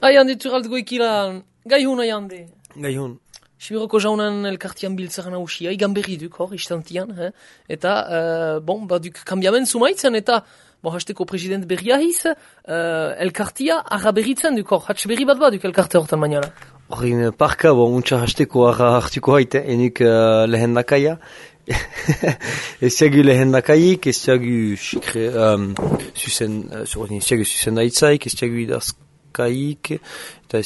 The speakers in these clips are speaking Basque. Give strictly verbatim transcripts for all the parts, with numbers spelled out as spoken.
Aian dituralt goikila, gai huna jande. Gai hun. Sibiroko jaunan elkartian biltzaren hausia, igan berri duk hor, istantian, eh? Eta, uh, bon, baduk kambiamen sumaitzen, eta, bon, hasteko president berria hiz, uh, elkartia araberitzen duk hor, hatz berri bat baduk elkarte hortan mainara. Horin parka, bon, untsa hasteko arra hartuko haite, enuk uh, lehen dakaia. Ez ziagu lehen dakaik, ez ziagu um, susen, uh, ez ziagu susen daitzaik, ez ziagu idazkaik, eta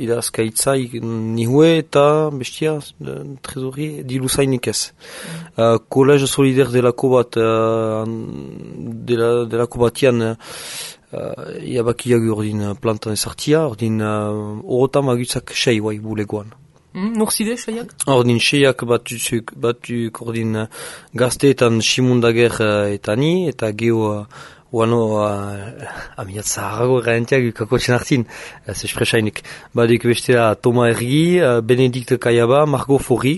idazkaitzaik nihue eta bestia, trezori, diluzainik ez. Uh, Kolej solider delako bat, uh, dela, delako batian, uh, iabakiagu ordin plantan ezartia, ordin uh, orotan magutzak sei guai bulegoan. Mm, Norzide, seiak? Ordin seiak batuk, batuk ordin gazteetan simundager uh, eta ni, eta geho uh, Uano, uh, amiat zaharago erraentiak kakotxen hartin, ez espresainik. Baduk bestela Toma Ergi, uh, Benedikt Kaiaba, Margo Fori,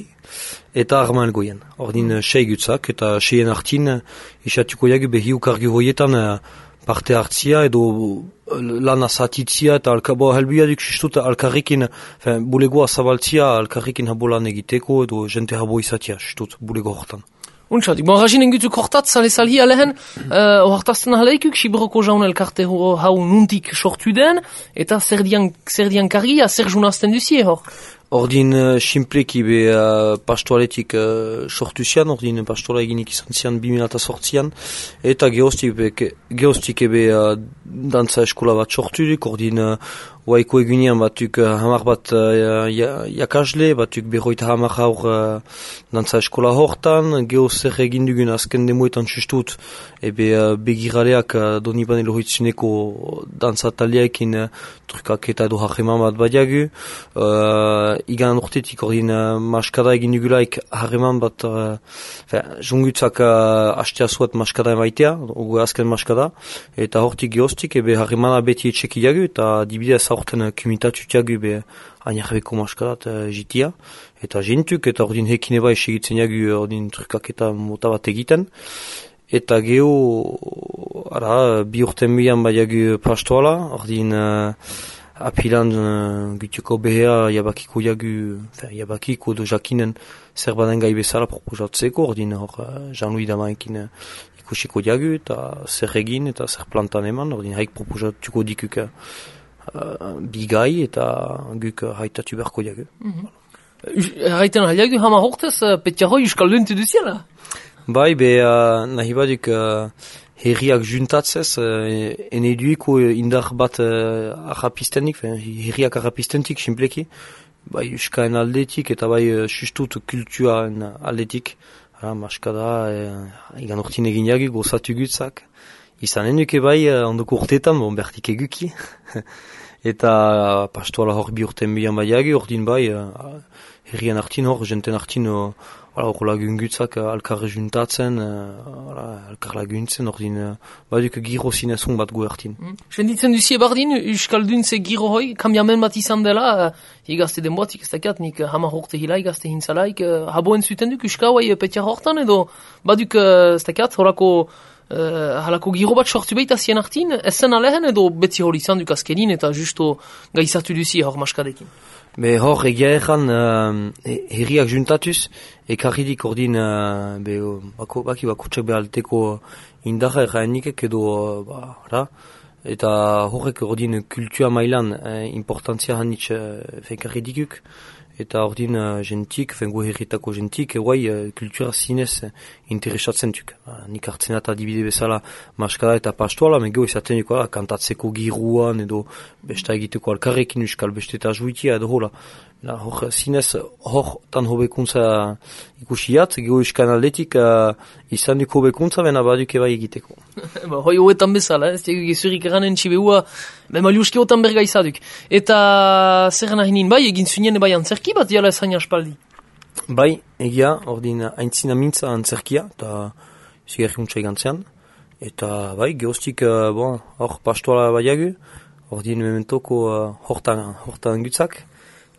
eta Arman Goyen. Ordin uh, sei gutzak, eta seien hartin, uh, isatuko jagu behi ukargi hoietan uh, parte hartzia, edo uh, lan azatitzia, eta alkabo helbia duk sistut alkarrikin, fin, bulegoa zabaltzia, alkarrikin habolan egiteko, edo jente habo izatia, sistut, bulego hortan. Untsatik, bon, rajinen gutuk hortat, sale-salhi alehen, uh, ohartazten ahaleikuk, Sibiroko jaun elkarte hau nuntik sortu den, eta zer dian, zer dian kargia, zer junazten duzie hor? Ordin uh, simpleki be uh, pastoaletik uh, sortu zian, ordin pastoala eginik izan zian bi mila zortzian, eta geostik ebe uh, dantza eskola bat sortu duk, ordin uh, Waiko egunean batuk uh, hamar bat uh, jakasle, batuk berroita hamar haur uh, dantza eskola hortan, geho zer egin dugun azken demoetan txustut, ebe uh, begiraleak uh, doni banelo hoitzuneko dantza taliaekin uh, trukak eta edo harreman bat badiagu. Uh, igan urtetik ordin uh, maskada egin dugulaik harreman bat, uh, jungutzak uh, hastea zuat maskada emaitea, ogu azken maskada, eta hortik gehoztik ebe harremana beti etxeki jagu, eta dibidez horten kumitatu tiagu be ainarbeko maskadat uh, jitia, eta jentuk, eta ordin hekine bai segitzen jagu ordin trukak eta mota bat egiten. Eta geho, ara, bi urten bihan bai jagu pastoala, ordin uh, apilan uh, gutuko behea jabakiko jagu, fer, jabakiko do jakinen zer baden gai bezala proposatzeko, ordin hor uh, Jean-Louis Damaekin uh, ikusiko jagu, eta zer egin, eta zer plantan eman, ordin haik proposatuko dikuk uh, bigai, eta guk uh, haitatu berko jagu. Mm-hmm. Haiten haliagu hama hortez, uh, petiaro yuskalduntu duziela? Bai, be uh, nahi baduk uh, herriak juntatzez, uh, ene duiko indar bat uh, arrapistenik, herriak arrapistentik, simpleki, bai euskaen aldetik, eta bai uh, sustut kultuaren aldetik, uh, maskada, uh, igan urtin egin jagu, gozatu gutzak, izanen duke bai, uh, ondoko urteetan, bon, bertik eguki, eta uh, pastoala hor bi urten bihan bai jagu, ordin bai, uh, herrian hartin hor, jenten hartin, uh, hor lagungutzak uh, alkarre juntatzen, uh, alkar laguntzen, ordin, uh, baduk giro zinezun bat gu hartin. Mm. Senditzen duzie bardin, euskalduntze giro hoi, kambiamen bat izan dela, uh, igazte den boatik, ez dakiat, nik uh, hamar horte hila, igazte hintzalaik, uh, haboen zuten duk, euska hoi petia hortan, edo baduk, uh, ez dakiat, horako, uh, halako giro bat sortu behita zien hartin, ezen alehen, edo betzi hori izan duk azkenin, eta justo gaizatu duzie hor maskadekin. Be hor egia egan uh, herriak juntatuz, ekarridik ordin uh, be, bako, baki bakutsak behalteko indarra erraenikek edo uh, ba, ra, eta horrek ordin kultua mailan uh, importantzia hanitz uh, ekarridikuk, eta ordin uh, jentik, fengo herritako jentik, guai uh, kultura zinez uh, interesatzen duk. Uh, nik hartzen eta dibide bezala maskada eta pastoala, mego izaten duk, uh, kantatzeko giruan edo besta egiteko alkarrekin euskal beste eta juitia edo hola. La, hor zinez, hor tan hobekuntza ikusiat, gero euskan aldetik uh, izan duk hobekuntza, bena baduk eba egiteko. Ba, hoi hoetan bezala, ez dugu gezurik eranen txibeua, be maliuski hoetan berga izaduk. Eta zer nahinin bai, egin zunien bai antzerki bat, jala ez hain aspaldi? Bai, egia, ordin aintzina mintza antzerkia, eta zigarri untsa egantzean. Eta bai, gehoztik, uh, bon, hor pastoala baiagu, ordin mementoko uh, hortan, hortan gutzak,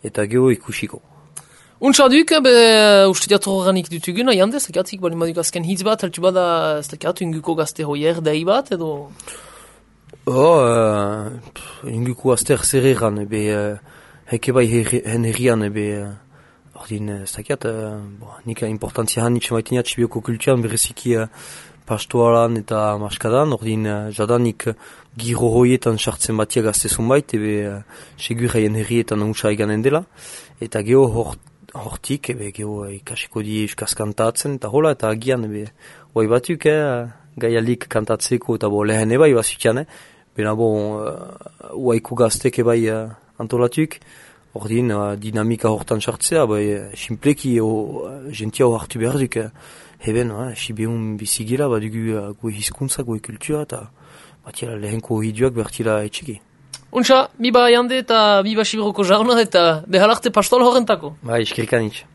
eta geho ikusiko. Untsa duk, be, uste diatro horrenik dutugun, aiande, ez dakiatzik, bali maduk azken hitz bat, heltu bada, ez dakiatu inguko gazte hoier dai bat, edo? Oh, uh, inguku azter zer egan, ebe, uh, heke bai hen herrian, ebe, uh, ordin, ez dakiat, uh, bo, nik importantzia han nitxe maitenia txibioko kulturan, bereziki uh, pastoalan eta maskadan, ordin, uh, jadanik uh, giro hoietan sartzen batia gaztezun bait, ebe, uh, segur haien herrietan unsa eganen dela, eta geho hor, hortik, ebe, geho uh, ikasiko di euskaz kantatzen, eta hola, eta agian, ebe, oai batuk, eh, gaialik kantatzeko, eta bo, lehen ebai bazutian, eh, Bena bon, uh, uaiku gaztek ebai uh, antolatuk, ordin uh, dinamika hortan sartzea, bai, uh, simpleki uh, gentia hor hartu behar duk, uh, heben, uh, sibeun bizigila, badugu uh, goe hizkuntza, goe kultura, eta batila lehenko hiduak bertila etxiki. Untxa, biba jande eta biba sibroko jauna eta behalarte pastol horrentako. Bai, eskerkanitz.